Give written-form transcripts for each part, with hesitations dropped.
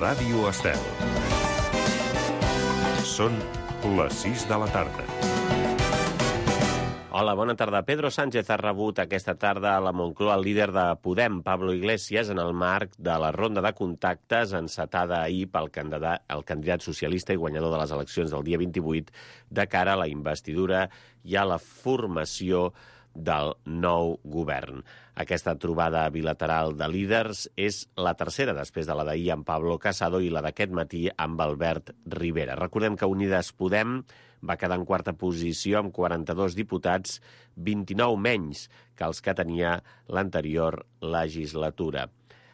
Ràdio Estel. Són les 6 de la tarda. Hola, bona tarda. Pedro Sánchez ha rebut aquesta tarda a la Moncloa el líder de Podem, Pablo Iglesias, en el marc de la ronda de contactes encetada ahir pel candidat socialista i guanyador de les eleccions del dia 28 de cara a la investidura i a la formació del nou govern. Aquesta trobada bilateral de líders és la tercera després de la d'ahir amb Pablo Casado i la d'aquest matí amb Albert Rivera. Recordem que Unides Podem va quedar en quarta posició amb 42 diputats, 29 menys que els que tenia l'anterior legislatura.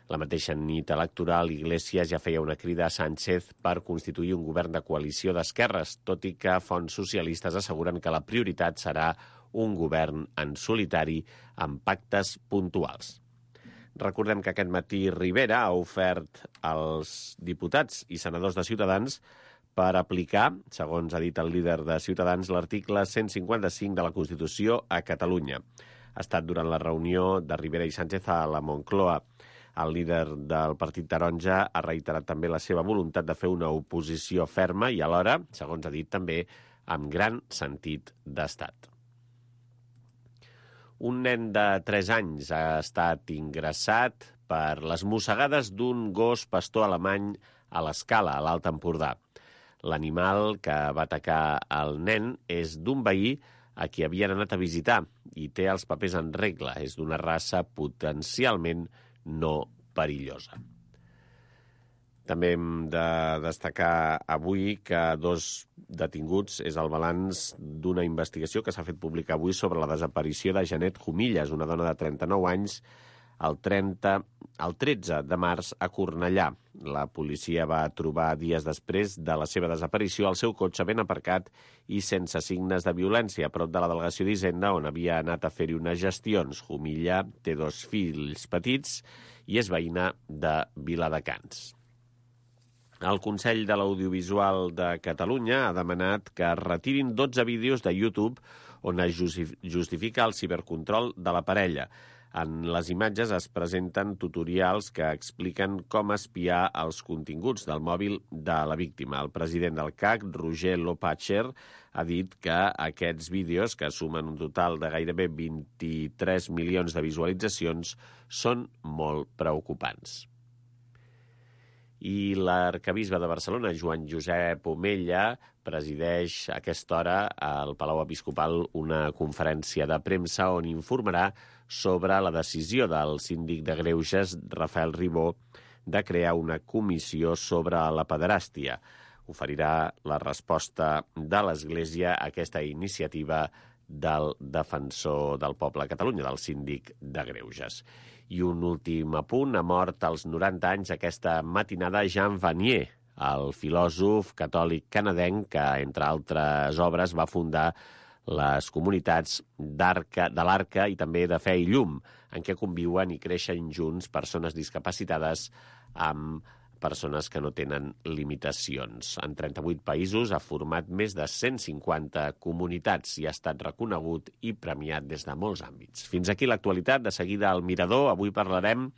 La mateixa nit electoral, Iglesias ja feia una crida a Sánchez per constituir un govern de coalició d'esquerres, tot i que fonts socialistes asseguren que la prioritat serà un govern en solitari amb pactes puntuals. Recordem que aquest matí Rivera ha ofert als diputats i senadors de Ciutadans per aplicar, segons ha dit el líder de Ciutadans, l'article 155 de la Constitució a Catalunya. Ha estat durant la reunió de Rivera i Sánchez a la Moncloa. El líder del Partit Taronja ha reiterat també la seva voluntat de fer una oposició ferma i alhora, segons ha dit també, amb gran sentit d'estat. Un nen de 3 anys ha estat ingressat per les mossegades d'un gos pastor alemany a l'Escala, a l'Alt Empordà. L'animal que va atacar el nen és d'un veí a qui havien anat a visitar i té els papers en regla. És d'una raça potencialment no perillosa. També hem de destacar avui que 2 detinguts és el balanç d'una investigació que s'ha fet pública avui sobre la desaparició de Janet Jumillas, una dona de 39 anys, el 13 de març a Cornellà. La policia va trobar dies després de la seva desaparició el seu cotxe ben aparcat i sense signes de violència a prop de la delegació d'Hisenda on havia anat a fer-hi unes gestions. Jumilla té 2 fills petits i és veïna de Viladecans. El Consell de l'Audiovisual de Catalunya ha demanat que es retirin 12 vídeos de YouTube on es justifica el cibercontrol de la parella. En les imatges es presenten tutorials que expliquen com espiar els continguts del mòbil de la víctima. El president del CAC, Roger Lopatcher, ha dit que aquests vídeos, que sumen un total de gairebé 23 milions de visualitzacions, són molt preocupants. I l'arquebisbe de Barcelona, Joan Josep Omella, presideix a aquesta hora al Palau Episcopal una conferència de premsa on informarà sobre la decisió del síndic de Greuges, Rafael Ribó, de crear una comissió sobre la pederàstia. Oferirà la resposta de l'Església a aquesta iniciativa del defensor del poble a Catalunya, del síndic de Greuges. I un últim apunt, ha mort als 90 anys aquesta matinada Jean Vanier, el filòsof catòlic canadenc que, entre altres obres, va fundar les comunitats de l'Arca i també de Fe i Llum, en què conviuen i creixen junts persones discapacitades amb persones que no tenen limitacions. En 38 països ha format més de 150 comunitats i ha estat reconegut i premiat des de molts àmbits. Fins aquí l'actualitat. De seguida al Mirador. Avui parlarem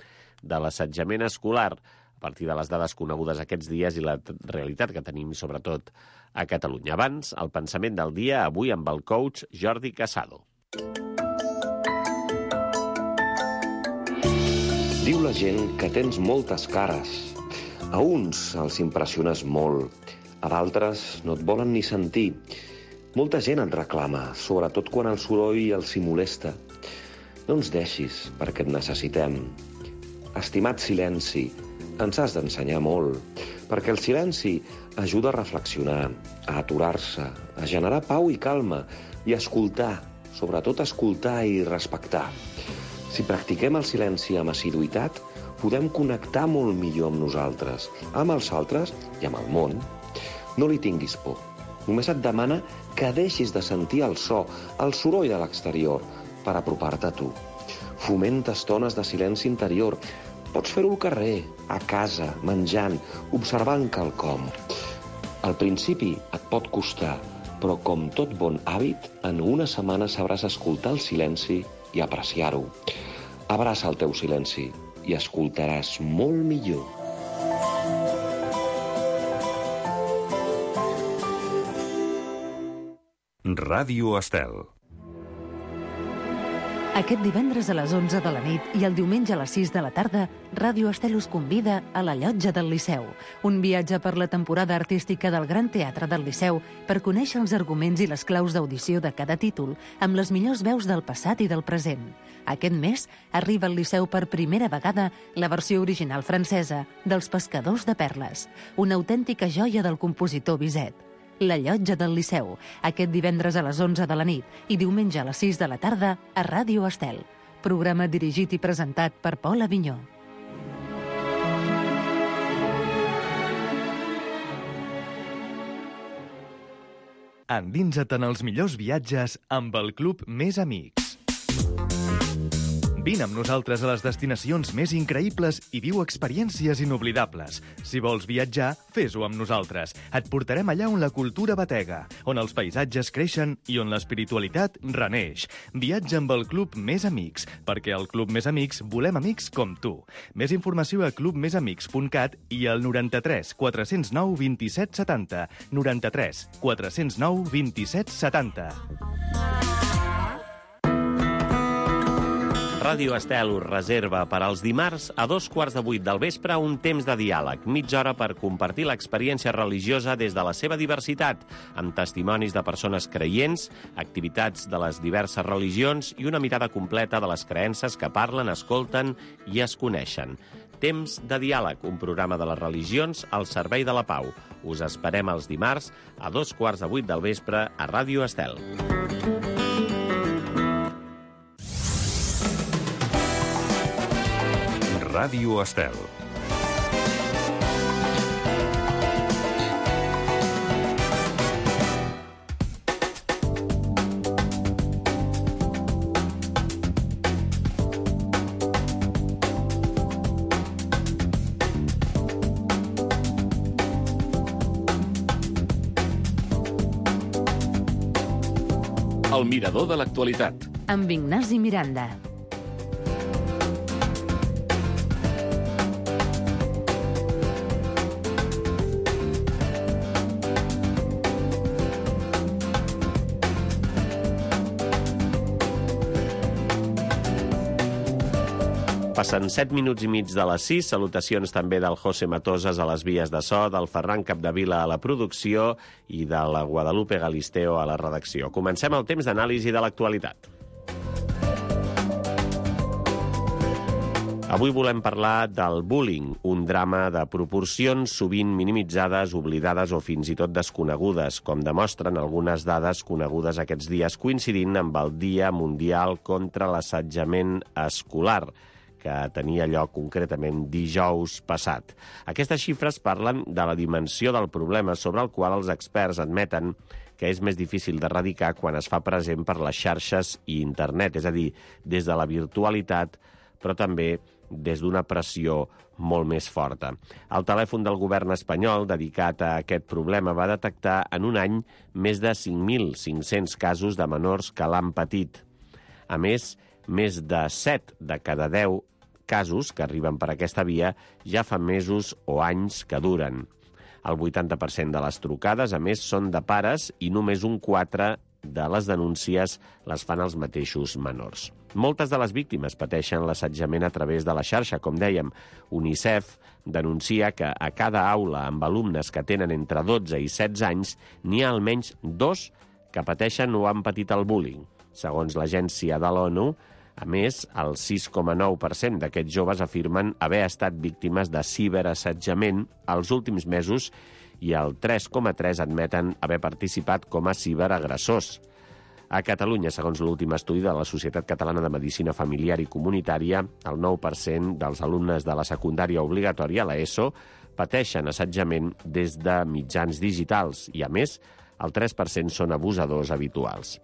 de l'assetjament escolar a partir de les dades conegudes aquests dies i la realitat que tenim, sobretot, a Catalunya. Abans, el pensament del dia, avui amb el coach Jordi Casado. Diu la gent que tens moltes cares. A uns els impressiones molt, a d'altres no et volen ni sentir. Molta gent et reclama, sobretot quan el soroll els hi molesta. No ens deixis, perquè et necessitem. Estimat silenci, ens has d'ensenyar molt, perquè el silenci ajuda a reflexionar, a aturar-se, a generar pau i calma i a escoltar, sobretot escoltar i respectar. Si practiquem el silenci amb assiduïtat, podem connectar molt millor amb nosaltres, amb els altres i amb el món. No li tinguis por. Només et demana que deixis de sentir el so, el soroll de l'exterior, per apropar-te a tu. Fomenta estones de silenci interior. Pots fer-ho al carrer, a casa, menjant, observant quelcom. Al principi et pot costar, però com tot bon hàbit, en una setmana sabràs escoltar el silenci i apreciar-ho. Abraça el teu silenci i escoltaràs molt millor. Ràdio Estel. Aquest divendres a les 11 de la nit i el diumenge a les 6 de la tarda, Ràdio Estel us convida a la Llotja del Liceu, un viatge per la temporada artística del Gran Teatre del Liceu per conèixer els arguments i les claus d'audició de cada títol amb les millors veus del passat i del present. Aquest mes arriba al Liceu per primera vegada la versió original francesa dels Pescadors de Perles, una autèntica joia del compositor Bizet. La Llotja del Liceu, aquest divendres a les 11 de la nit i diumenge a les 6 de la tarda a Ràdio Estel. Programa dirigit i presentat per Pol Avinyó. Endinsa't en els millors viatges amb el Club Més Amics. Vine amb nosaltres a les destinacions més increïbles i viu experiències inoblidables. Si vols viatjar, fes-ho amb nosaltres. Et portarem allà on la cultura batega, on els paisatges creixen i on l'espiritualitat reneix. Viatja amb el Club Més Amics, perquè al Club Més Amics volem amics com tu. Més informació a clubmesamics.cat i al 93 409 27 70. 93 409 27 70. Ràdio Estel us reserva per als dimarts a 7:15 del vespre un temps de diàleg, mitja hora per compartir l'experiència religiosa des de la seva diversitat, amb testimonis de persones creients, activitats de les diverses religions i una mirada completa de les creences que parlen, escolten i es coneixen. Temps de diàleg, un programa de les religions al servei de la pau. Us esperem els dimarts a 7:15 del vespre a Ràdio Estel. Ràdio Estel. El mirador de l'actualitat. Amb Ignasi Miranda. Passen 7 minuts i mig de les 6. Salutacions també del José Matosas a les vies de so, del Ferran Capdevila a la producció i de la Guadalupe Galisteo a la redacció. Comencem el temps d'anàlisi de l'actualitat. Avui volem parlar del bullying, un drama de proporcions sovint minimitzades, oblidades o fins i tot desconegudes, com demostren algunes dades conegudes aquests dies coincidint amb el Dia Mundial contra l'Assetjament Escolar, que tenia lloc concretament dijous passat. Aquestes xifres parlen de la dimensió del problema sobre el qual els experts admeten que és més difícil d'erradicar quan es fa present per les xarxes i internet, és a dir, des de la virtualitat, però també des d'una pressió molt més forta. El telèfon del govern espanyol dedicat a aquest problema va detectar en un any més de 5.500 casos de menors que l'han patit. A més de 7 de cada 10 casos que arriben per aquesta via ja fa mesos o anys que duren. El 80% de les trucades, a més, són de pares i només un 4 de les denúncies les fan els mateixos menors. Moltes de les víctimes pateixen l'assetjament a través de la xarxa, com dèiem. UNICEF denuncia que a cada aula amb alumnes que tenen entre 12 i 16 anys n'hi ha almenys 2 que pateixen o han patit el bullying. Segons l'agència de l'ONU, a més, el 6,9% d'aquests joves afirmen haver estat víctimes de ciberassetjament els últims mesos i el 3,3% admeten haver participat com a ciberagressors. A Catalunya, segons l'últim estudi de la Societat Catalana de Medicina Familiar i Comunitària, el 9% dels alumnes de la secundària obligatòria, l'ESO, pateixen assetjament des de mitjans digitals i, a més, el 3% són abusadors habituals.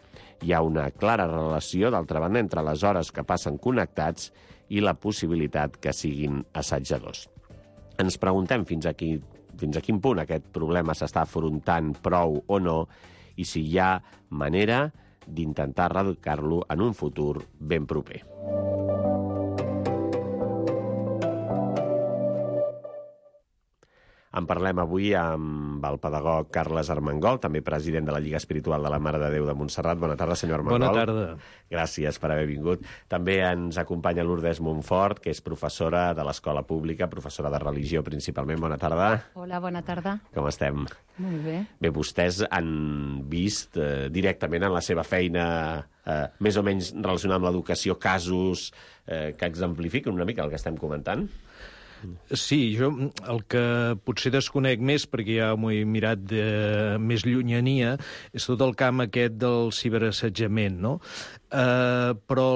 Hi ha una clara relació, d'altra banda, entre les hores que passen connectats i la possibilitat que siguin assetjadors. Ens preguntem fins a quin punt aquest problema s'està afrontant prou o no i si hi ha manera d'intentar erradicar-lo en un futur ben proper. En parlem avui amb el pedagog Carles Armengol, també president de la Lliga Espiritual de la Mare de Déu de Montserrat. Bona tarda, senyor Armengol. Bona tarda. Gràcies per haver vingut. També ens acompanya Lourdes Montfort, que és professora de l'Escola Pública, professora de religió principalment. Bona tarda. Hola, bona tarda. Com estem? Molt bé. Bé, vostès han vist directament en la seva feina més o menys relacionada amb l'educació casos que exemplifiquen una mica el que estem comentant? Sí, jo el que potser desconec més, perquè ja m'ho he mirat de més llunyania, és tot el camp aquest del ciberassetjament, no? Però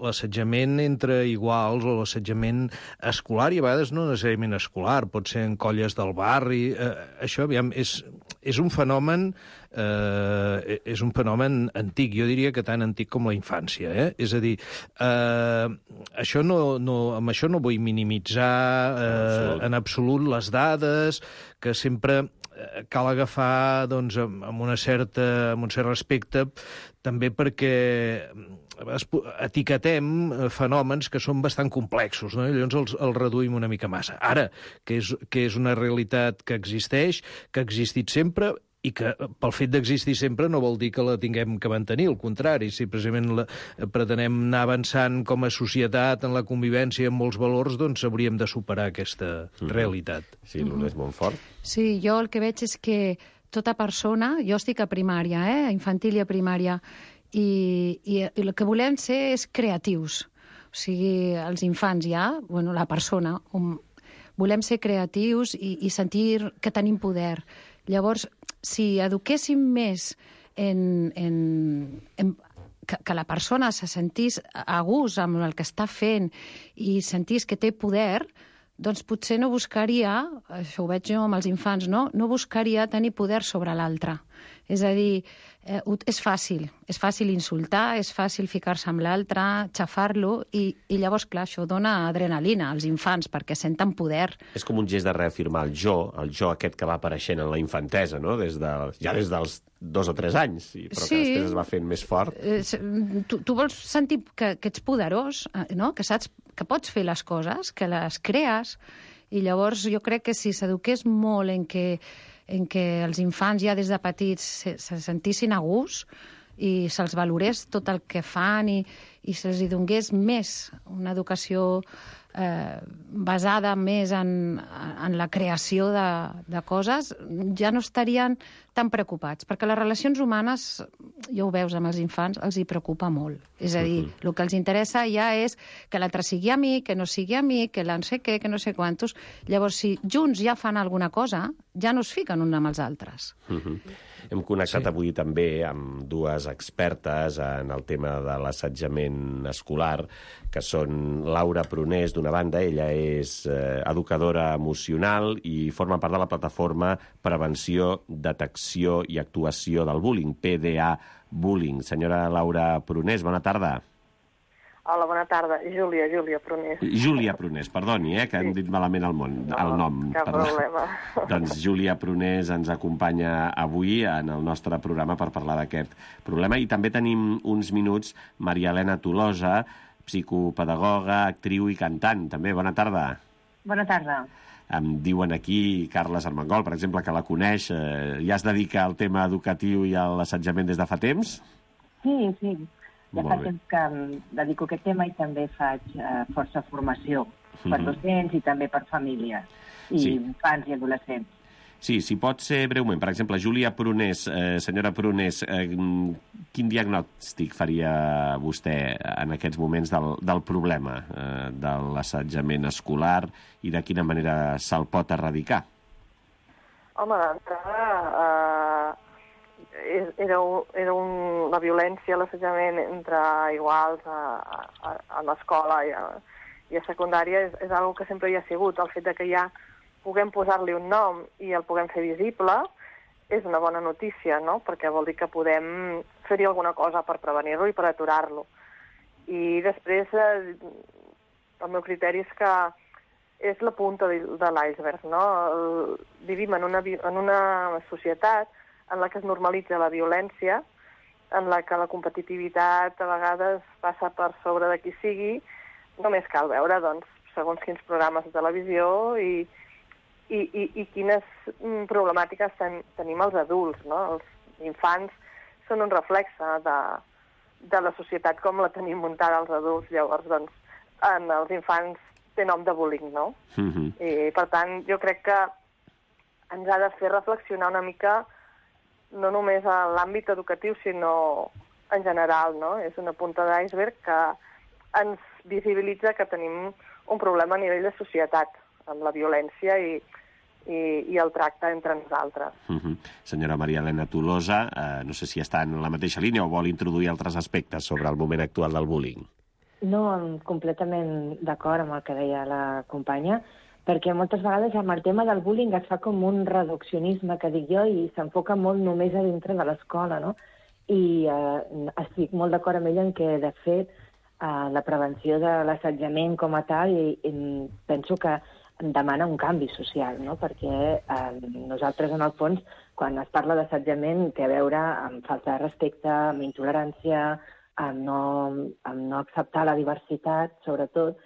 l'assetjament entre iguals o l'assetjament escolar, i a vegades no necessàriament escolar, pot ser en colles del barri, això, aviam, és un fenomen antic, jo diria que tan antic com la infància, És a dir, amb això no vull minimitzar en absolut les dades, que sempre cal agafar doncs, amb un cert respecte, també perquè etiquetem fenòmens que són bastant complexos, no? I llavors els reduïm una mica massa. Ara, que és una realitat que existeix, que ha existit sempre, i que pel fet d'existir sempre no vol dir que la tinguem que mantenir, al contrari, si precisament pretenem anar avançant com a societat en la convivència amb molts valors, doncs hauríem de superar aquesta realitat. Sí, Lourdes Montfort. Sí, jo el que veig és que tota persona, jo estic a primària, a infantil i a primària, i el que volem ser és creatius. O sigui, els infants ja, la persona, volem ser creatius i sentir que tenim poder. Llavors, si eduquéssim més que la persona se sentís a gust amb el que està fent i sentís que té poder, doncs potser no buscaria, això ho veig jo amb els infants, no buscaria tenir poder sobre l'altre. És a dir, és fàcil insultar, és fàcil ficar-se amb l'altre, xafar-lo, i llavors, clar, això dona adrenalina als infants, perquè senten poder. És com un gest de reafirmar el jo aquest que va apareixent en la infantesa, no? Ja des dels 2 o 3 anys, però que després es va fent més fort. Tu vols sentir que ets poderós, no? Que saps que pots fer les coses, que les crees, i llavors jo crec que si s'eduqués molt en què els infants ja des de petits se sentissin a gust i se'ls valorés tot el que fan i se'ls donés més una educació basada més en la creació de coses, ja no estarien tan preocupats, perquè les relacions humanes, ja ho veus amb els infants, els hi preocupa molt. És a dir, el que els interessa ja és que l'altre sigui amic, que no sigui amic, que no sé què, que no sé quantos. Llavors, si junts ja fan alguna cosa, ja no es fiquen uns amb els altres. Hem connectat avui també amb 2 expertes en el tema de l'assetjament escolar, que són Laura Prunés, d'una banda, ella és educadora emocional i forma part de la plataforma Prevenció, Detecció i Actuació del Bullying, PDA Bullying. Senyora Laura Prunés, bona tarda. Hola, bona tarda. Júlia Prunés. Júlia Prunés, perdoni, que hem dit malament el nom. Cap problema. Doncs Júlia Prunés ens acompanya avui en el nostre programa per parlar d'aquest problema. I també tenim uns minuts Maria Elena Tolosa, psicopedagoga, actriu i cantant. També, bona tarda. Bona tarda. Em diuen aquí, Carles Armengol, per exemple, que la coneix, ja es dedica al tema educatiu i a l'assetjament des de fa temps? Sí. Ja fa temps que em dedico a aquest tema i també faig força formació per docents i també per famílies i infants i adolescents. Sí, si pot ser breument. Per exemple, Júlia Prunés, senyora Prunés, quin diagnòstic faria vostè en aquests moments del problema de l'assetjament escolar i de quina manera se'l pot erradicar? Home, d'entrada era la violència, l'assetjament entre iguals a l'escola i a secundària és una que sempre hi ha sigut. El fet que ja puguem posar-li un nom i el puguem fer visible és una bona notícia, no? Perquè vol dir que podem fer-hi alguna cosa per prevenir-lo i per aturar-lo. I després, el meu criteri és que és la punta de l'iceberg, no? Vivim en una societat en la que es normalitza la violència, en la que la competitivitat a vegades passa per sobre de qui sigui. Només cal veure, doncs, segons quins programes de televisió i i quines problemàtiques tenim els adults, no? Els infants són un reflexe de la societat com la tenim muntada els adults. Llavors, doncs, en els infants té nom de bullying, no? I, per tant, jo crec que ens ha de fer reflexionar una mica no només a l'àmbit educatiu, sinó en general, no? És una punta d'iceberg que ens visibilitza que tenim un problema a nivell de societat, amb la violència i el tracte entre nosaltres. Senyora Maria Elena Tolosa, no sé si està en la mateixa línia o vol introduir altres aspectes sobre el moment actual del bullying. No, completament d'acord amb el que deia la companya, perquè moltes vegades amb el tema del bullying es fa com un reduccionisme, que dic jo, i s'enfoca molt només a dintre de l'escola, no? I estic molt d'acord amb ella en què, de fet, la prevenció de l'assetjament com a tal, i penso que demana un canvi social, no? Perquè nosaltres, en el fons, quan es parla d'assetjament, té a veure amb falta de respecte, amb intolerància, amb no acceptar la diversitat, sobretot,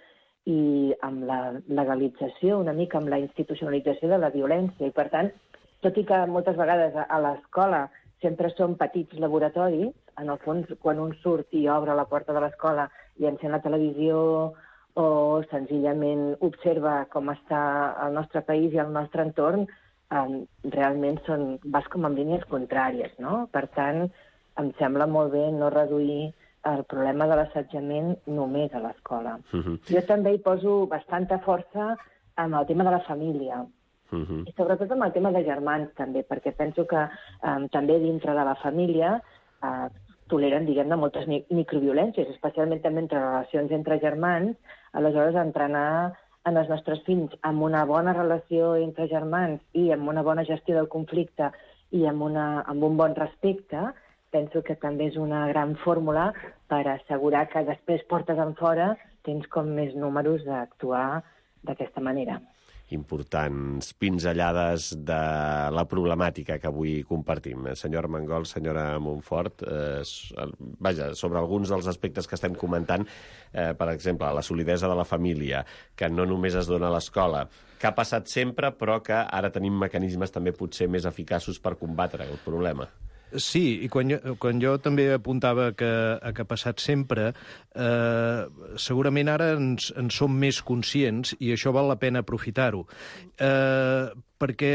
i amb la legalització, una mica amb la institucionalització de la violència. I, per tant, tot i que moltes vegades a l'escola sempre són petits laboratoris, en el fons, quan un surt i obre la porta de l'escola i encén la televisió o senzillament observa com està el nostre país i el nostre entorn, realment vas com en línies contràries, no? Per tant, em sembla molt bé no reduir el problema de l'assetjament només a l'escola. Jo també hi poso bastanta força amb el tema de la família, i sobretot amb el tema de germans, també, perquè penso que també dintre de la família toleren, diguem-ne, moltes microviolències, especialment també entre relacions entre germans. Aleshores, entrenar en els nostres fills amb una bona relació entre germans i amb una bona gestió del conflicte i amb un bon respecte, penso que també és una gran fórmula per assegurar que després, portes enfora, tens com més números d'actuar d'aquesta manera. Importants pinzellades de la problemàtica que avui compartim. Senyor Armengol, senyora Montfort, sobre alguns dels aspectes que estem comentant, per exemple, la solidesa de la família, que no només es dona a l'escola, que ha passat sempre, però que ara tenim mecanismes també potser més eficaços per combatre el problema. Sí, i quan jo també apuntava que ha passat sempre, segurament ara en som més conscients i això val la pena aprofitar-ho. Perquè,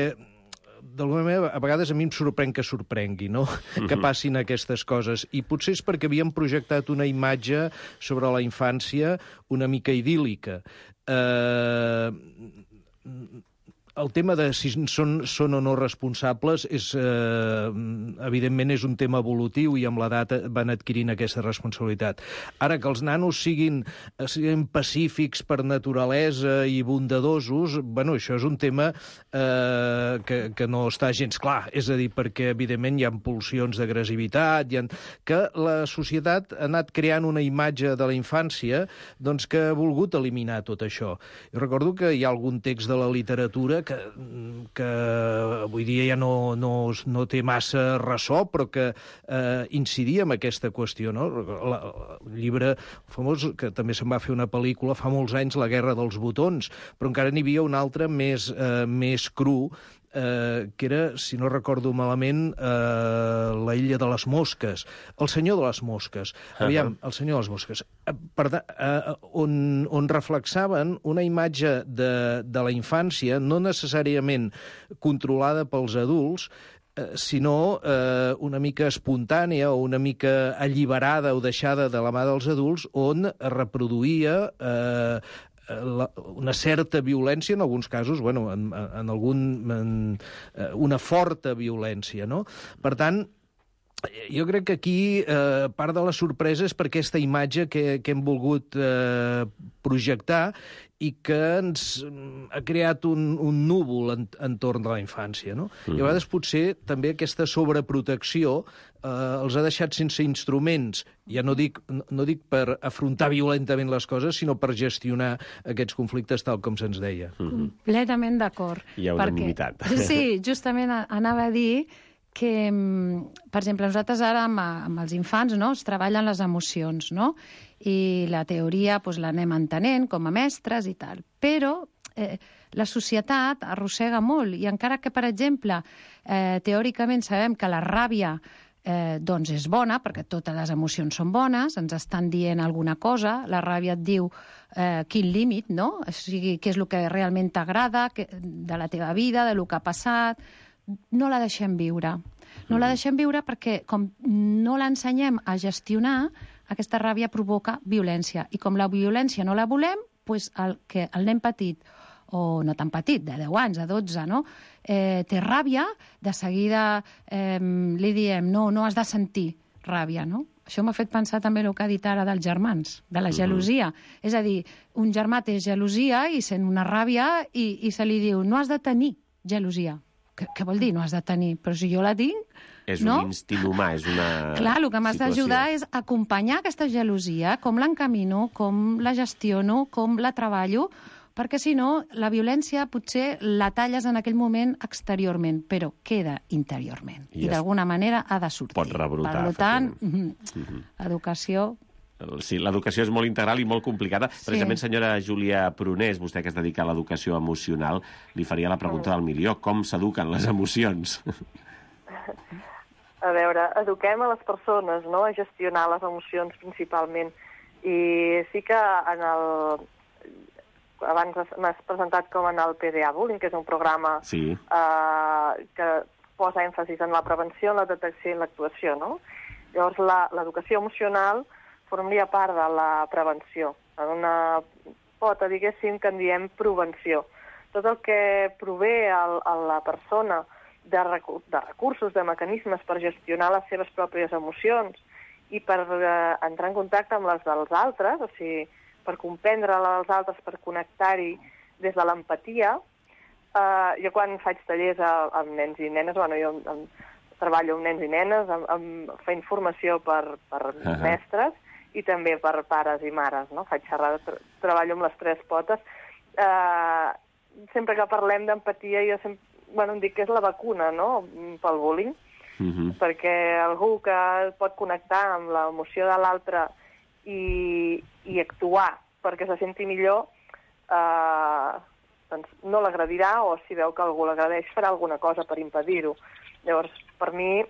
d'alguna manera, a vegades a mi em sorprèn que sorprengui, no? Que passin aquestes coses. I potser és perquè havíem projectat una imatge sobre la infància una mica idíl·lica. El tema de si són o no responsables evidentment és un tema evolutiu i amb l'edat van adquirint aquesta responsabilitat. Ara, que els nanos siguin pacífics per naturalesa i bondadosos, bueno, això és un tema que no està gens clar. És a dir, perquè evidentment hi ha pulsions d'agressivitat, que la societat ha anat creant una imatge de la infància doncs, que ha volgut eliminar tot això. Jo recordo que hi ha algun text de la literatura que avui dia ja no té massa ressò, però que incidia en aquesta qüestió, no? El llibre famós, que també se'n va fer una pel·lícula fa molts anys, La guerra dels botons, però encara n'hi havia un altre més cru, que era, si no recordo malament, La illa de les mosques, El senyor de les mosques. Aviam, El senyor de les mosques. On reflexaven una imatge de la infància no necessàriament controlada pels adults, sinó una mica espontània o una mica alliberada o deixada de la mà dels adults, on es reproduïa una certa violència, en alguns casos, bueno, una forta violència, no? Per tant, jo crec que aquí part de la sorpresa és per aquesta imatge que hem volgut projectar i que ens ha creat un núvol entorn de la infància, no? I a vegades potser també aquesta sobreprotecció els ha deixat sense instruments, ja no dic per afrontar violentament les coses, sinó per gestionar aquests conflictes tal com se'ns deia. Completament d'acord. Hi ha unanimitat. Sí, justament anava a dir que, per exemple, nosaltres ara amb els infants, no, es treballen les emocions, no? I la teoria l'anem entenent com a mestres i tal. Però la societat arrossega molt, i encara que, per exemple, teòricament sabem que la ràbia doncs és bona, perquè totes les emocions són bones, ens estan dient alguna cosa, la ràbia et diu quin límit, no? O sigui, què és el que realment t'agrada de la teva vida, de lo que ha passat. No la deixem viure. No la deixem viure perquè, com no l'ensenyem a gestionar, aquesta ràbia provoca violència. I com la violència no la volem, doncs el nen petit, o no tan petit, de 10 anys, de 12, no? Té ràbia, de seguida li diem, no has de sentir ràbia, no? Això m'ha fet pensar també el que ha dit ara dels germans, de la gelosia. És a dir, un germà té gelosia i sent una ràbia i se li diu, no has de tenir gelosia. Què vol dir, no has de tenir? Però si jo la tinc... És un instint humà, és una situació. Clar, el que m'has d'ajudar és acompanyar aquesta gelosia, com l'encamino, com la gestiono, com la treballo, perquè si no, la violència potser la talles en aquell moment exteriorment, però queda interiorment. I d'alguna manera ha de sortir. Pot rebrotar. Per tant, educació... Sí, l'educació és molt integral i molt complicada. Precisament, senyora Júlia Prunés, vostè que es dedica a l'educació emocional, li faria la pregunta del milió. Com s'eduquen les emocions? A veure, eduquem a les persones, no?, a gestionar les emocions principalment. I sí que abans m'has presentat com en el PDA Bullying, que és un programa que posa èmfasis en la prevenció, en la detecció i en l'actuació, no? Llavors, l'educació emocional formaria part de la prevenció. En una pota, diguéssim, que en diem prevenció. Tot el que prové a la persona de recursos, de mecanismes per gestionar les seves pròpies emocions i per entrar en contacte amb les dels altres, o sigui, per comprendre les dels altres, per connectar-hi des de l'empatia. Jo quan faig tallers amb nens i nenes, jo treballo amb nens i nenes, fent formació per mestres i també per pares i mares, no? Faig xerrades, treballo amb les 3 potes. Sempre que parlem d'empatia, jo sempre em dic que és la vacuna, no?, pel bullying, perquè algú que pot connectar amb l'emoció de l'altre i actuar perquè se senti millor, doncs no l'agradirà, o si veu que algú l'agradeix farà alguna cosa per impedir-ho. Llavors, per mi,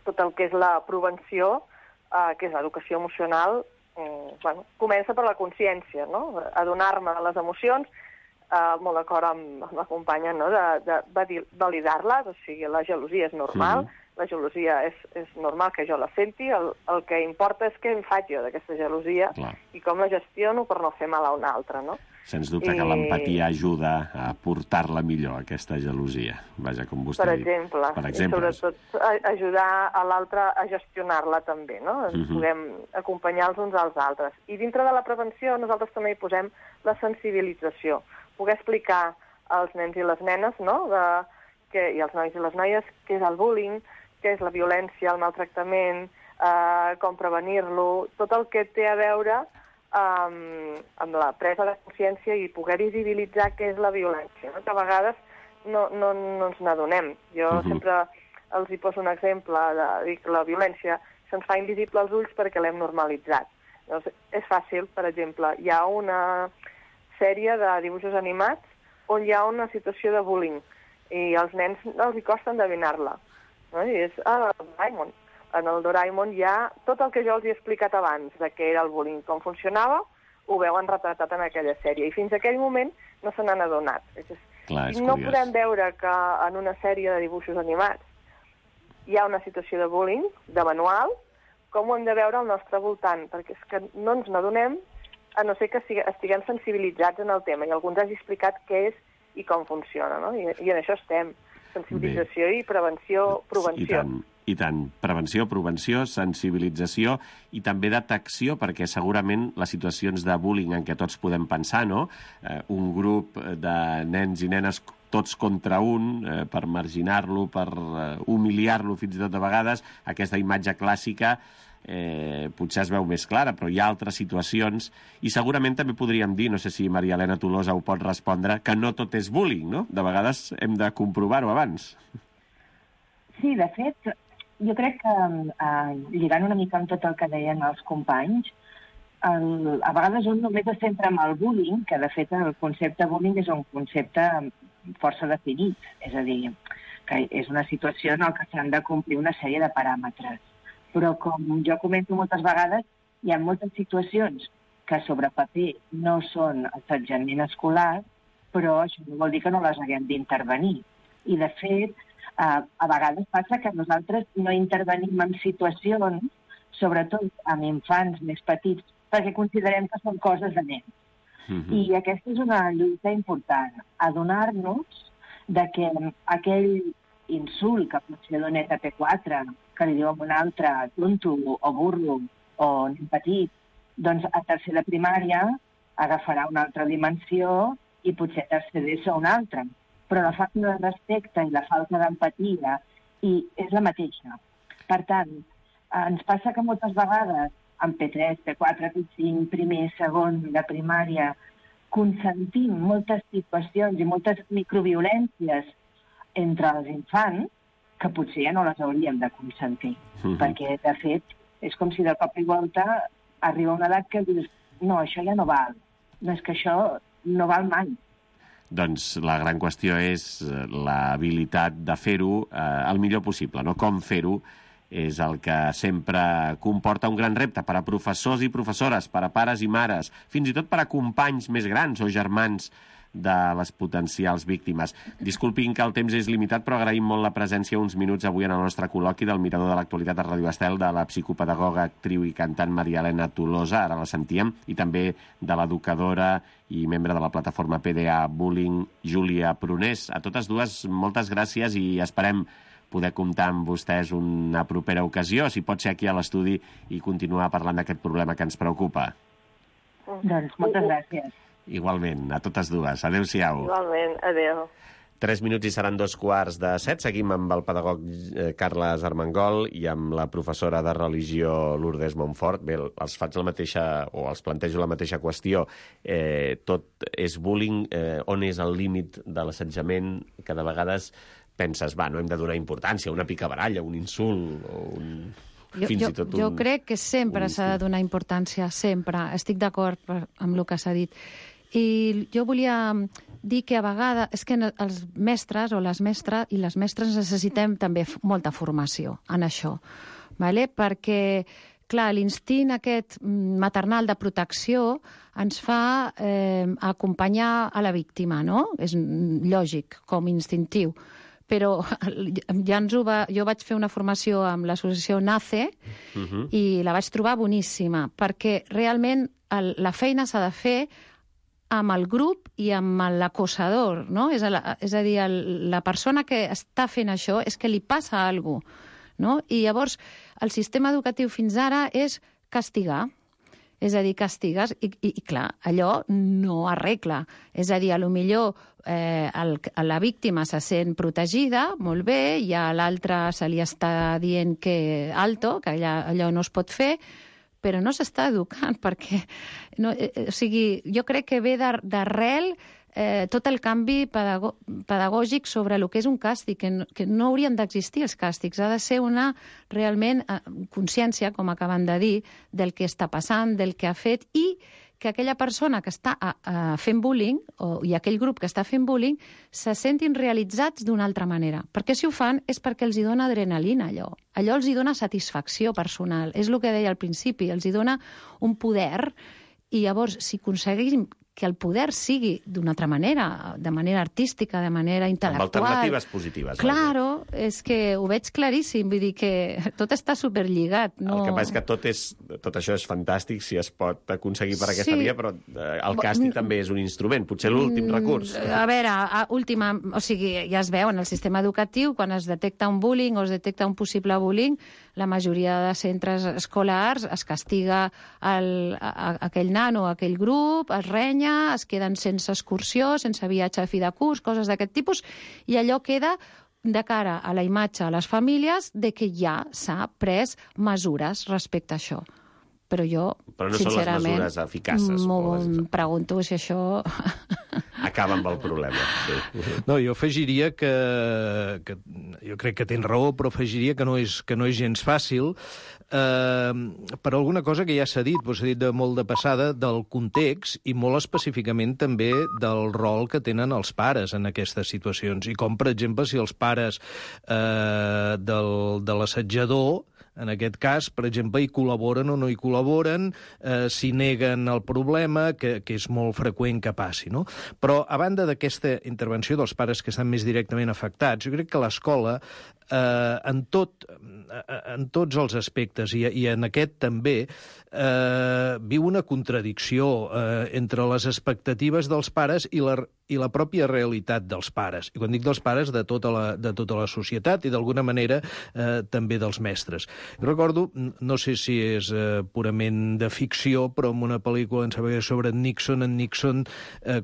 tot el que és la prevenció, que és l'educació emocional, comença per la consciència, no?, adonar-me de les emocions, molt d'acord amb la companya, no?, de validar-les, o sigui, la gelosia és normal, la gelosia és normal que jo la senti, el que importa és què em faig jo d'aquesta gelosia i com la gestiono per no fer mal a un altre, no? Sens dubte que l'empatia ajuda a portar-la millor, aquesta gelosia. Vaja, com vostè ha dit. Per exemple. I sobretot ajudar a l'altre a gestionar-la també, no? Ens podem acompanyar els uns als altres. I dintre de la prevenció nosaltres també hi posem la sensibilització. Poder explicar als nens i les nenes, no?, i als nois i les noies, què és el bullying, què és la violència, el maltractament, com prevenir-lo, tot el que té a veure amb la presa de consciència i poder visibilitzar què és la violència, no? Que a vegades no ens n'adonem. Jo sempre els hi poso un exemple, dic, la violència se'ns fa invisible als ulls perquè l'hem normalitzat. Llavors, és fàcil, per exemple, hi ha una sèrie de dibuixos animats on hi ha una situació de bullying i als nens els hi costa endevinar-la. No? I és Doraemon. En el Doraemon hi ha tot el que jo els he explicat abans de què era el bullying, com funcionava, ho veuen retratat en aquella sèrie. I fins a aquell moment no se n'han adonat. No podem veure que en una sèrie de dibuixos animats hi ha una situació de bullying, de manual, com ho hem de veure al nostre voltant, perquè és que no ens n'adonem, a no ser que estiguem sensibilitzats en el tema, i algú ens hagi explicat què és i com funciona, no? I en això estem. Sensibilització i prevenció. I tant. Prevenció, sensibilització i també detecció, perquè segurament les situacions de bullying en què tots podem pensar, no?, un grup de nens i nenes tots contra un, per marginar-lo, per humiliar-lo fins i tot de vegades, aquesta imatge clàssica potser es veu més clara, però hi ha altres situacions, i segurament també podríem dir, no sé si Maria Elena Tolosa ho pot respondre, que no tot és bullying, no? De vegades hem de comprovar-ho abans. Sí, de fet, jo crec que, lligant una mica amb tot el que deien els companys, a vegades un només es centra en el bullying, que de fet el concepte bullying és un concepte força definit, és a dir, que és una situació en què s'han de complir una sèrie de paràmetres. Però com jo comento moltes vegades, hi ha moltes situacions que sobre paper no són assetjament escolar, però això no vol dir que no les haguem d'intervenir. I de fet, a vegades passa que nosaltres no intervenim en situacions, sobretot amb infants més petits, perquè considerem que són coses de nens. I aquesta és una lluita important, adonar-nos de que aquell insult que pot ser d'un ETP4, que li diu a un altre tonto o burro o nen petit, doncs a tercer de primària agafarà una altra dimensió i potser a tercer d'ESO una altra. Però la falta de respecte i la falta d'empatia és la mateixa. Per tant, ens passa que moltes vegades en P3, P4, P5, primer, segon, de primària, consentim moltes situacions i moltes microviolències entre els infants que potser ja no les hauríem de consentir. Perquè, de fet, és com si de cop i volta arriba una edat que dius no, això ja no val. No, és que això no val mai. Doncs la gran qüestió és l'habilitat de fer-ho el millor possible, no? Com fer-ho és el que sempre comporta un gran repte per a professors i professores, per a pares i mares, fins i tot per a companys més grans o germans de les potencials víctimes. Disculpin que el temps és limitat, però agraïm molt la presència uns minuts avui en el nostre col·loqui del Mirador de l'Actualitat a Ràdio Estel, de la psicopedagoga, actriu i cantant Maria Elena Tolosa, ara la sentíem, i també de l'educadora i membre de la plataforma PDA Bullying, Júlia Prunés. A totes dues, moltes gràcies i esperem poder comptar amb vostès una propera ocasió, si pot ser aquí a l'estudi, i continuar parlant d'aquest problema que ens preocupa. Doncs moltes gràcies. Igualment, a totes dues. Adéu-siau. Igualment, adéu. 3 minuts i seran 2:15. Seguim amb el pedagog Carles Armengol i amb la professora de religió Lourdes Montfort. Bé, els faig la mateixa, o els plantejo la mateixa qüestió. Tot és bullying. On és el límit de l'assetjament? Que de vegades penses, no hem de donar importància a una picabaralla, un insult, o un... Jo crec que sempre s'ha de donar importància, sempre. Estic d'acord amb el que s'ha dit. I jo volia dir que a vegades és que els mestres o les mestres i les mestres necessitem també molta formació en això, ¿vale? Perquè, clar, l'instint aquest maternal de protecció ens fa acompanyar a la víctima, no? És lògic, com instintiu. Però jo vaig fer una formació amb l'associació NACE i la vaig trobar boníssima, perquè realment la feina s'ha de fer amb el grup i amb l'acosador, no? És a dir, la persona que està fent això és que li passa alguna cosa, no? I llavors el sistema educatiu fins ara és castigar. És a dir, castigues i clar, allò no arregla. És a dir, potser la víctima se sent protegida, molt bé, i a l'altre se li està dient que alto, que allò no es pot fer, però no s'està educant, perquè... O sigui, jo crec que ve d'arrel tot el canvi pedagògic sobre el que és un càstig, que no haurien d'existir els càstigs. Ha de ser una, realment, consciència, com acaben de dir, del que està passant, del que ha fet, i que aquella persona que està fent bullying, i aquell grup que està fent bullying, se sentin realitzats d'una altra manera. Perquè si ho fan és perquè els hi dona adrenalina, allò. Allò els hi dona satisfacció personal. És el que deia al principi, els hi dona un poder, i llavors, si aconseguim que el poder sigui d'una altra manera, de manera artística, de manera intel·lectual... Amb alternatives positives. Claro, és que ho veig claríssim, vull dir que tot està superlligat. No... El que passa és que tot això és fantàstic si es pot aconseguir per aquesta via, però el càstig també és un instrument, potser l'últim recurs. A veure, o sigui, ja es veu en el sistema educatiu, quan es detecta un bullying o es detecta un possible bullying, la majoria de centres escolars es castiga aquell nano o aquell grup, es renya, es queden sense excursió, sense viatge a fi de curs, coses d'aquest tipus, i allò queda de cara a la imatge a les famílies de que ja s'ha pres mesures respecte a això. Però jo, però no sincerament, són les mesures eficaces. M'ho pregunto si això... Acaba amb el problema. Sí. No, jo afegiria que jo crec que tens raó, però afegiria que no és gens fàcil, per alguna cosa que ja s'ha dit, s'ha dit molt de passada, del context i molt específicament també del rol que tenen els pares en aquestes situacions. I com, per exemple, si els pares de l'assetjador, en aquest cas, per exemple, hi col·laboren o no hi col·laboren, si neguen el problema, que és molt freqüent que passi, no? Però, a banda d'aquesta intervenció dels pares que estan més directament afectats, jo crec que l'escola, en tots els aspectes, i en aquest també, viu una contradicció entre les expectatives dels pares i la pròpia realitat dels pares. I quan dic dels pares, de tota la societat i, d'alguna manera, també dels mestres. Jo recordo, no sé si és purament de ficció, però en una pel·lícula, em sembla que sobre en Nixon,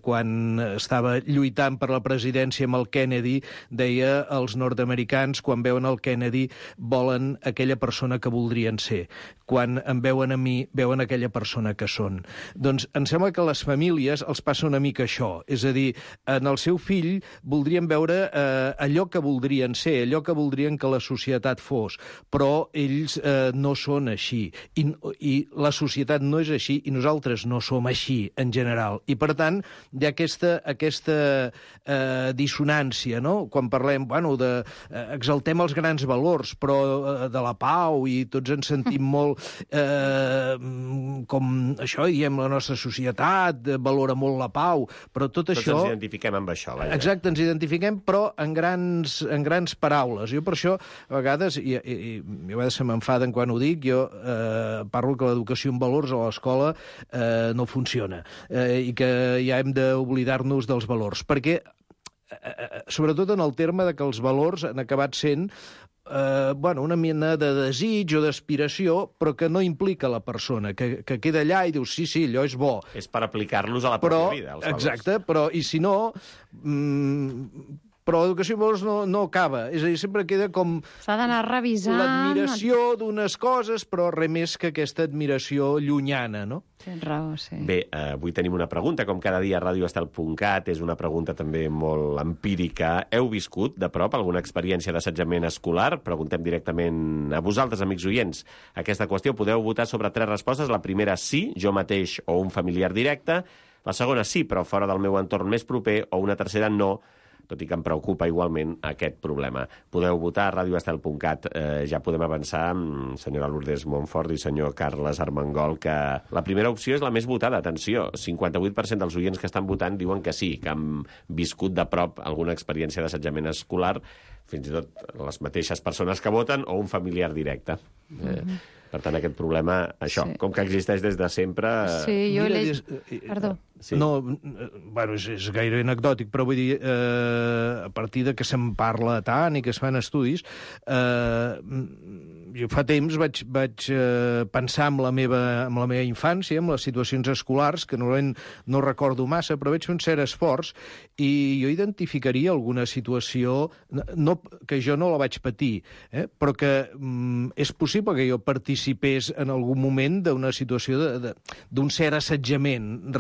quan estava lluitant per la presidència amb el Kennedy, deia els nord-americans, quan veuen el Kennedy, volen aquella persona que voldrien ser. Quan em veuen a mi, veuen aquella persona que són. Doncs em sembla que a les famílies els passa una mica això. És a dir, en el seu fill voldrien veure allò que voldrien ser, allò que voldrien que la societat fos, però ells no són així. I la societat no és així i nosaltres no som així, en general. I, per tant, hi ha aquesta dissonància, no? Quan parlem, exaltem els grans valors, però de la pau, i tots ens sentim molt com això, diem, la nostra societat valora molt la pau, però tot això... Tots ens identifiquem amb això. Exacte, ens identifiquem, però en grans paraules. Jo per això, a vegades, i a vegades se m'enfaden quan ho dic, jo parlo que l'educació en valors a l'escola no funciona, i que ja hem d'oblidar-nos dels valors, perquè sobretot en el terme de que els valors han acabat sent una mena de desig o d'aspiració, però que no implica la persona, que queda allà i dius, sí, allò és bo. És per aplicar-los a la pròpia vida, els valors. Exacte, però, i si no... Però l'educació en valors no acaba. És a dir, sempre queda com... S'ha d'anar revisant... L'admiració d'unes coses, però res més que aquesta admiració llunyana, no? Tens raó, sí. Bé, avui tenim una pregunta, com cada dia a radioestel.cat, és una pregunta també molt empírica. Heu viscut de prop alguna experiència d'assetjament escolar? Preguntem directament a vosaltres, amics oients, aquesta qüestió. Podeu votar sobre 3 respostes. La primera, sí, jo mateix o un familiar directe. La segona, sí, però fora del meu entorn més proper. O una tercera, no, tot i que em preocupa igualment aquest problema. Podeu votar a radioestel.cat. Ja podem avançar, senyora Lourdes Montfort i senyor Carles Armengol, que la primera opció és la més votada. Atenció, 58% dels oients que estan votant diuen que sí, que han viscut de prop alguna experiència d'assetjament escolar, fins i tot les mateixes persones que voten o un familiar directe. Per tant, aquest problema, això, com que existeix des de sempre... Sí, jo Perdó. Sí. No, és gaire anecdòtic, però vull dir, a partir de que se'n parla tant i que es fan estudis, jo fa temps vaig pensar en la meva infància, en les situacions escolars, que normalment no recordo massa, però veig un cert esforç, i jo identificaria alguna situació, que jo no la vaig patir, però que és possible que jo participés en algun moment d'una situació d'un cert assetjament,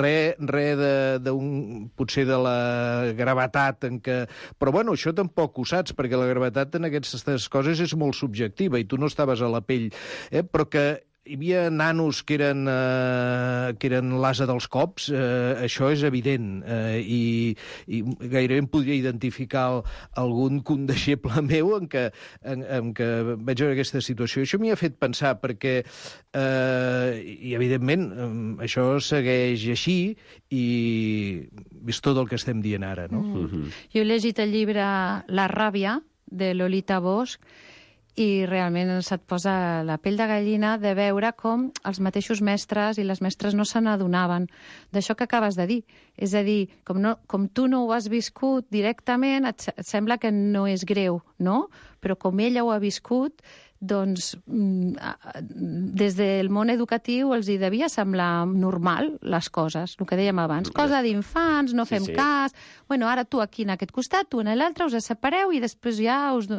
potser de la gravetat en què... Però, això tampoc ho saps, perquè la gravetat en aquestes coses és molt subjectiva i tu no estaves a la pell, però que hi havia nanos que eren l'ase dels cops, això és evident, i gairebé em podria identificar algun condeixeble meu en què vaig veure aquesta situació. Això m'hi ha fet pensar, perquè, i evidentment, això segueix així, i és tot el que estem dient ara, no? Jo he llegit el llibre La ràbia, de Lolita Bosch, i realment se't posa la pell de gallina de veure com els mateixos mestres i les mestres no se n'adonaven d'això que acabes de dir. És a dir, com tu no ho has viscut directament, et sembla que no és greu, no? Però com ella ho ha viscut, doncs des del món educatiu els hi devia semblar normal les coses, el que dèiem abans. Cosa d'infants, no fem cas... Bueno, ara tu aquí en aquest costat, tu en l'altre, us separeu i després ja us...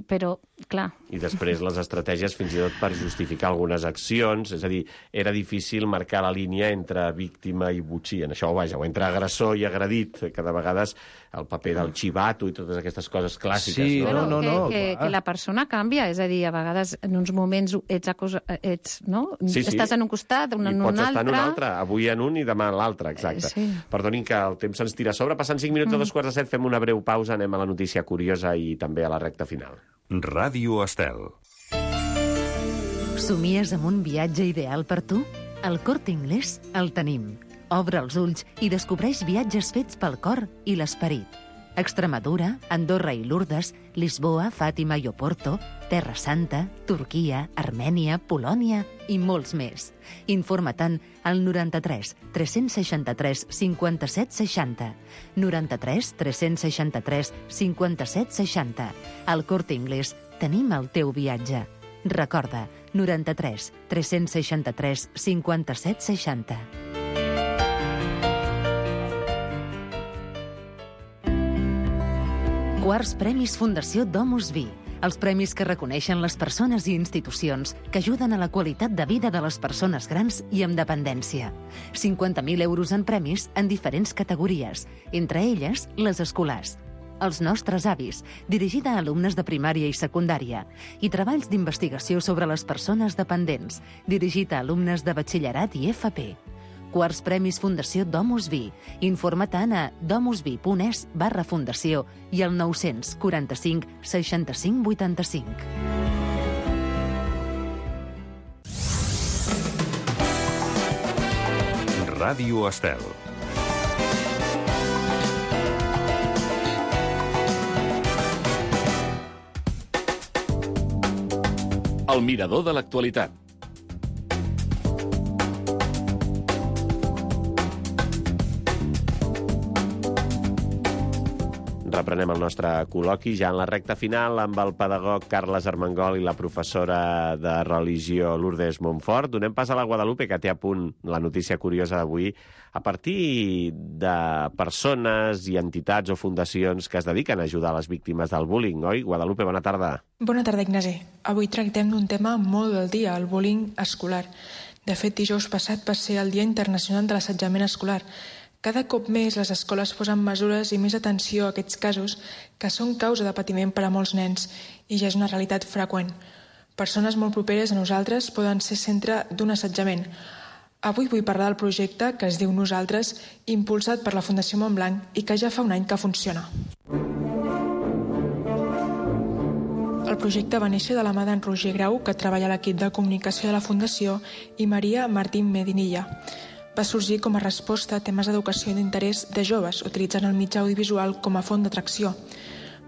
Però, clar... I després les estratègies fins i tot per justificar algunes accions, és a dir, era difícil marcar la línia entre víctima i botxí, en això, vaja, o entre agressor i agredit, que de vegades el paper del xivato i totes aquestes coses clàssiques. Sí, no? Que la persona canvia, és a dir, a vegades en uns moments ets no? Sí. Estàs en un costat, en un altre... I pots estar en un altre, avui en un i demà en l'altre, exacte. Sí. Perdonin que el temps se'ns tira a sobre, passant 5 minuts a 2:45, fem una breu pausa, anem a la notícia curiosa i també a la recta final. Ràdio Estel. Somies amb un viatge ideal per tu? Al Corte Inglés el tenim. Obre els ulls i descobreix viatges fets pel cor i l'esperit. Extremadura, Andorra i Lourdes, Lisboa, Fàtima i Oporto, Terra Santa, Turquia, Armènia, Polònia i molts més. Informa-te'n al 93 363 57 60. 93 363 57 60. Al Corte Inglés tenim el teu viatge. Recorda, 93 363 57 60. Quarts Premis Fundació Domus Vi. Els premis que reconeixen les persones i institucions que ajuden a la qualitat de vida de les persones grans i amb dependència. 50.000 euros en premis en diferents categories, entre elles les escolars. Els nostres avis, dirigida a alumnes de primària i secundària, i treballs d'investigació sobre les persones dependents, dirigit a alumnes de batxillerat i FP. Quarts Premis Fundació Domus Vi. Informa-te'n a domusvi.es/fundació i al 945 65 85. Ràdio Estel. El mirador de l'actualitat. Reprenem el nostre col·loqui ja en la recta final amb el pedagog Carles Armengol i la professora de religió Lourdes Montfort. Donem pas a la Guadalupe, que té a punt la notícia curiosa d'avui, a partir de persones i entitats o fundacions que es dediquen a ajudar les víctimes del bullying, oi? Guadalupe, bona tarda. Bona tarda, Ignasi. Avui tractem d'un tema molt del dia, el bullying escolar. De fet, dijous passat va ser el Dia Internacional de l'Assetjament Escolar. Cada cop més les escoles posen mesures i més atenció a aquests casos que són causa de patiment per a molts nens i ja és una realitat freqüent. Persones molt properes a nosaltres poden ser centre d'un assetjament. Avui vull parlar del projecte que es diu Nosaltres, impulsat per la Fundació Montblanc i que ja fa un any que funciona. El projecte va néixer de la mà d'en Roger Grau, que treballa a l'equip de comunicació de la Fundació, i Maria Martín Medinilla. Va sorgir com a resposta a temes d'educació i d'interès de joves, utilitzant el mitjà audiovisual com a font d'atracció.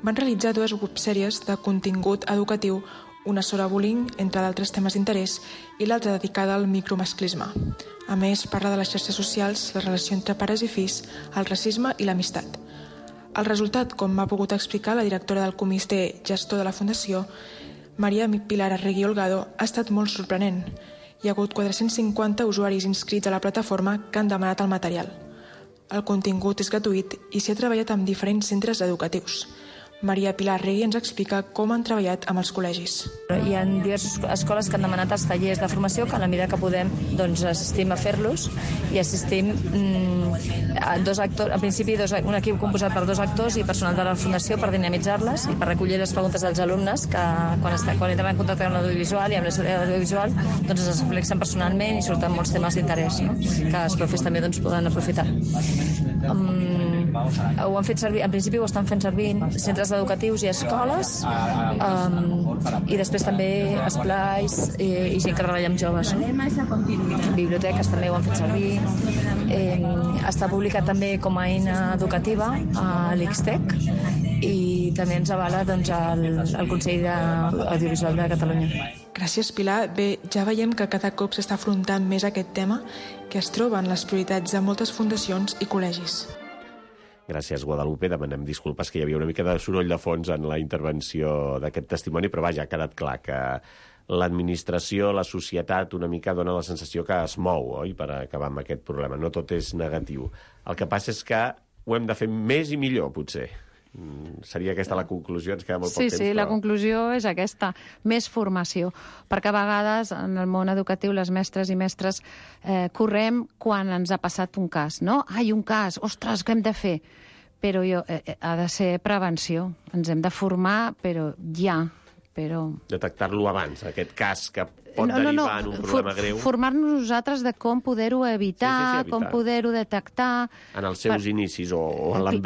Van realitzar 2 websèries de contingut educatiu, una sobre bullying, entre d'altres temes d'interès, i l'altra dedicada al micromasclisme. A més, parla de les xarxes socials, la relació entre pares i fills, el racisme i l'amistat. El resultat, com m'ha pogut explicar la directora del comitè gestor de la Fundació, Maria Pilar Arregui Olgado, ha estat molt sorprenent. Hi ha hagut 450 usuaris inscrits a la plataforma que han demanat el material. El contingut és gratuït i s'hi ha treballat amb diferents centres educatius. Maria Pilar Regui ens explica com han treballat amb els col·legis. Hi ha diverses escoles que han demanat els tallers de formació que a la mesura que podem doncs, assistim a fer-los i assistim a 2 actors, en principi un equip composat per 2 actors i personal de la Fundació per dinamitzar-les i per recollir les preguntes dels alumnes que quan entren en contacte amb l'audiovisual i amb l'audiovisual doncs es reflexen personalment i surten molts temes d'interès, no? Que els profes també doncs, poden aprofitar. Ho han fet servir, en principi ho estan fent servir centres educatius i escoles i després també esplais i gent que treballa amb joves, no? Biblioteques també ho han fet servir. Està publicat també com a eina educativa a l'Ixtec i també ens avala doncs, el Consell Audiovisual de Catalunya. Gràcies, Pilar. Bé, ja veiem que cada cop s'està afrontant més aquest tema que es troba en les prioritats de moltes fundacions i col·legis. Gràcies, Guadalupe. Demanem disculpes que hi havia una mica de soroll de fons en la intervenció d'aquest testimoni, però vaja, ha quedat clar que l'administració, la societat, una mica dona la sensació que es mou, oi?, per acabar amb aquest problema. No tot és negatiu. El que passa és que ho hem de fer més i millor, potser. Seria aquesta la conclusió, ens queda molt poc temps. Sí, però... la conclusió és aquesta, més formació, perquè a vegades en el món educatiu les mestres i mestres correm quan ens ha passat un cas, no? Ai, un cas, ostres, què hem de fer? Però ha de ser prevenció, ens hem de formar, però ja, però... Detectar-lo abans, aquest cas que pot derivar en un problema greu. Formar-nos nosaltres de com poder-ho evitar, com poder-ho detectar... En els seus inicis o en l'embrió.